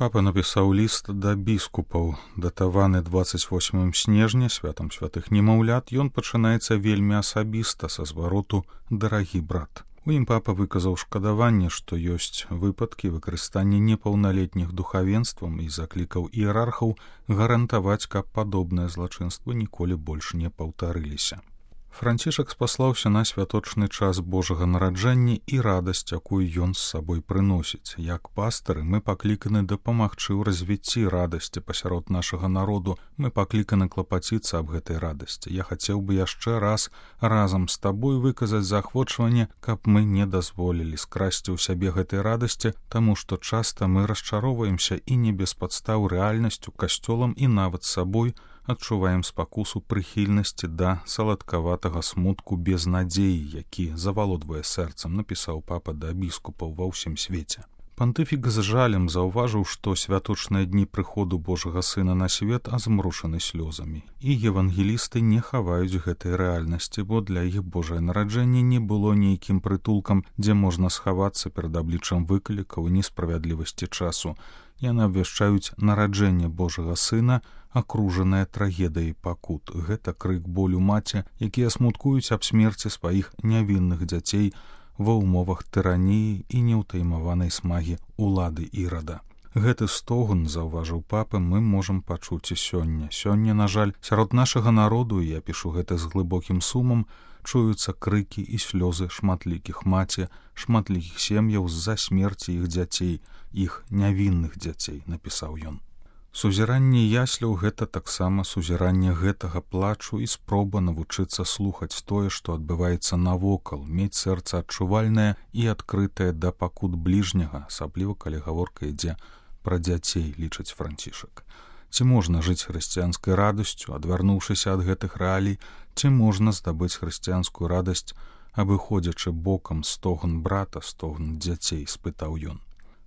Папа напісаў ліст да біскупаў, датаваны 28 снежня, святам святых немаўлят. Ён пачынаецца вельмі асабіста, са звароту «Дарагі брат». У ім папа выказаў шкадаванне, што ёсць выпадкі выкарыстання непаўналетніх духавенствам і заклікаў іерархаў гарантаваць, каб падобныя злачынствы ніколі больш не паўтарыліся. Францішак спаслаўся на святочны час Божага нараджэння і радасць, якую ён з сабой прыносіць. Як пастары мы пакліканы дапамагчы ў развіцці радасці пасярод нашага народу, мы пакліканы клапаціцца аб гэтай радасці. Я хацеў бы яшчэ раз разам з табой выказаць заахвочванне, каб мы не дазволілі скрасці ў сябе гэтай радасці, таму што часта мы расчароўваемся і не без падстаў рэальнасцю, касцёлам і нават сабой, адчуваем спакусу прыхільнасці да саладкаватага смутку без надзеі, які завалодвае сэрцам, напісаў папа да біскупаў ва ўсім свеце. Пантыфік з жалем заўважыў, што святочныя дні прыходу Божага Сына на свет азмрушаны слёзамі, і евангелісты не хаваюць гэтай рэальнасці, бо для іх Божае нараджэнне не было нейкім прытулкам, дзе можна схавацца перад абліччам выклікаў і несправядлівасці часу. Яны абвяшчаюць нараджэнне Божага Сына, акружанае трагедыяй пакут. Гэта крык болю маці, якія смуткуюць аб смерці сваіх нявінных дзяцей ва ўмовах тыраніі і неўтаймаванай смагі улады Ірада. Гэты стогн, заўважыў папа, мы можам пачуць і сёння. Сёння, на жаль, сярод нашага народу, і я пішу гэта з глыбокім сумам, чуюцца крыкі і слёзы шматлікіх маці, шматлікіх сем'яў з-за смерці іх дзяцей, іх нявінных дзяцей, напісаў ён. Сузіранне ясляў — гэта таксама сузіранне гэтага плачу і спроба навучыцца слухаць тое, што адбываецца навокал, мець сэрца адчувальнае і адкрытае да пакут бліжняга, асабліва калі гаворка ідзе пра дзяцей, лічыць Францішак. Ці можна жыць хрысціянскай радасцю, адвярнуўшыся ад гэтых рэалій, ці можна здабыць хрысціянскую радасць, абыходзячы бокам стогн брата, стогн дзяцей, спытаў ён.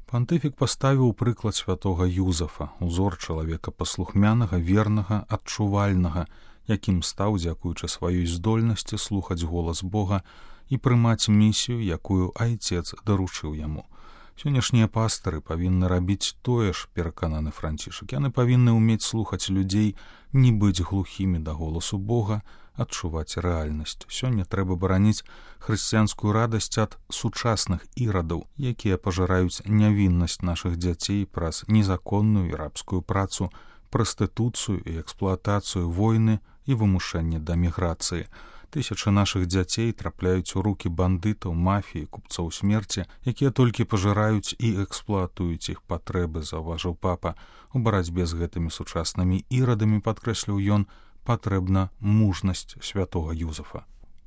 Пантыфік паставіў прыклад святога Юзафа, узор чалавека паслухмянага, вернага, адчувальнага, якім стаў дзякуючы сваёй здольнасці слухаць голас Бога і прымаць місію, якую айцец даручыў яму. Сённяшнія пастары павінны рабіць тое ж, перакананы Францішак. Яны павінны ўмець слухаць людзей, не быць глухімі да голасу Бога, адчуваць рэальнасць. Сёння трэба бараніць хрысціянскую радасць ад сучасных ірадаў, якія пажыраюць нявіннасць нашых дзяцей праз незаконную і рабскую працу, прастытуцыю і эксплуатацыю, войны і вымушэнне да міграцыі. Тысячы нашых дзяцей трапляюць у рукі бандытаў, мафіі, купцоў смерці, якія толькі пажыраюць і эксплуатуюць іх патрэбы, заўважыў папа. У барацьбе з гэтымі сучаснымі ірадамі, падкрэсліў ён, патрэбна мужнасць святога Юзафа.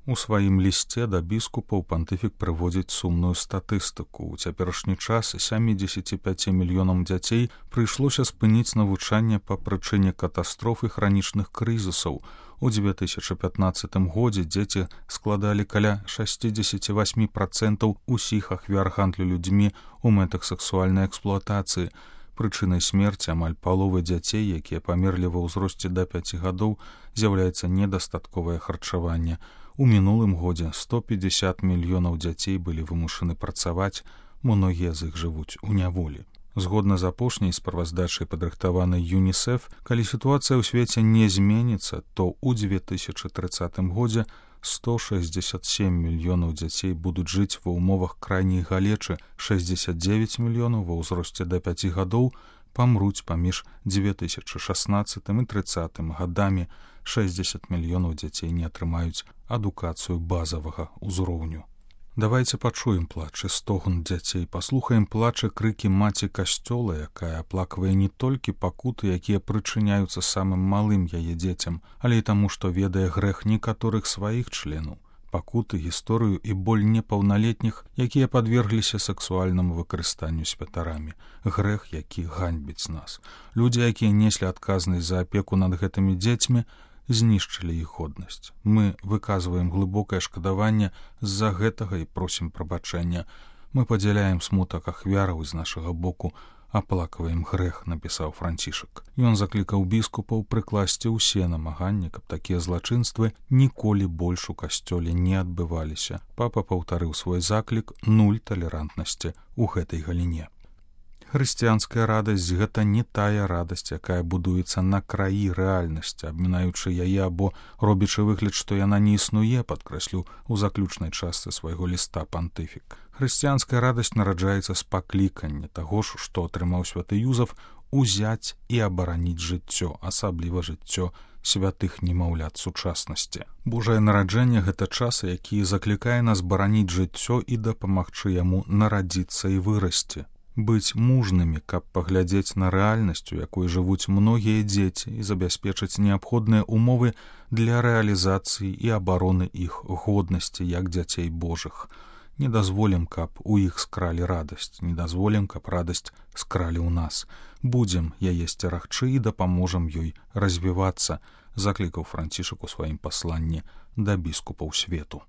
У сваім лісце да біскупаў пантыфік прыводзіць сумную статыстыку. У цяперашні час 75 мільёнам дзяцей прыйшлося спыніць навучанне па прычыне катастроф і хранічных крызісаў. У 2015 годзе дзеці складалі каля 68% усіх ахвяр гандлю людзьмі ў мэтах сексуальнай эксплуатацыі. Прычынай смерці амаль паловы дзяцей, якія памерлі ва ўзросце да 5 гадоў, з'яўляецца недастатковае харчаванне. У мінулым годзе 150 мільёнаў дзяцей былі вымушаны працаваць, многія з іх жывуць у няволі. Згодна з апошняй справаздачай, падрыхтаванай ЮНІСЕФ, калі сітуацыя ў свеце не зменіцца, то ў 2030 годзе 167 мільёнаў дзяцей будуць жыць ва ўмовах крайняй галечы, 69 мільёнаў ва ўзросце да 5 гадоў памруць паміж 2016 і 30 гадамі, 60 мільёнаў дзяцей не атрымаюць адукацыю базавага ўзроўню. Давайце пачуем плач і стогн дзяцей, паслухаем плач і крыкі маці касцёла, якая аплаквае не толькі пакуты, якія прычыняюцца самым малым яе дзецям, але і таму, што ведае грэх некаторых сваіх членаў, пакуты, гісторыю і боль непаўналетніх, якія падвергліся сексуальнаму выкарыстанню святарамі, грэх, які ганьбіць нас. Людзі, якія неслі адказнасць за апеку над гэтымі дзецьмі, знішчылі іх годнасць. Мы выказваем глыбокае шкадаванне з-за гэтага і просім прабачэння. Мы падзяляем смутак ахвяраў з нашага боку, аплакваем грэх, напісаў Францішак. Ён заклікаў біскупаў прыкласці ўсе намаганні, каб такія злачынствы ніколі больш у касцёле не адбываліся. Папа паўтарыў свой заклік нуль талерантнасці ў гэтай галіне. Хрысціянская радасць — гэта не тая радасць, якая будуецца на краі рэальнасці, абмінаючы яе або робячы выгляд, што яна не існуе, падкрэсліў у заключнай частцы свайго ліста пантыфік. Хрысціянская радасць нараджаецца з паклікання таго ж, што атрымаў святы Юзаф, узяць і абараніць жыццё, асабліва жыццё святых немаўлят сучаснасці. Божае нараджэнне — гэта час, які заклікае нас бараніць жыццё і дапамагчы яму нарадзіцца і вырасці. Быць мужнымі, каб паглядзець на рэальнасць, у якой жывуць многія дзеці, і забяспечыць неабходныя умовы для рэалізацыі і абароны іх годнасці як дзяцей Божых. Не дазволім, каб у іх скралі радасць, не дазволім, каб радасць скралі ў нас. Будзем яе сцерагчы і дапаможам ёй развівацца, заклікаў Францішак у сваім пасланні да біскупаў свету.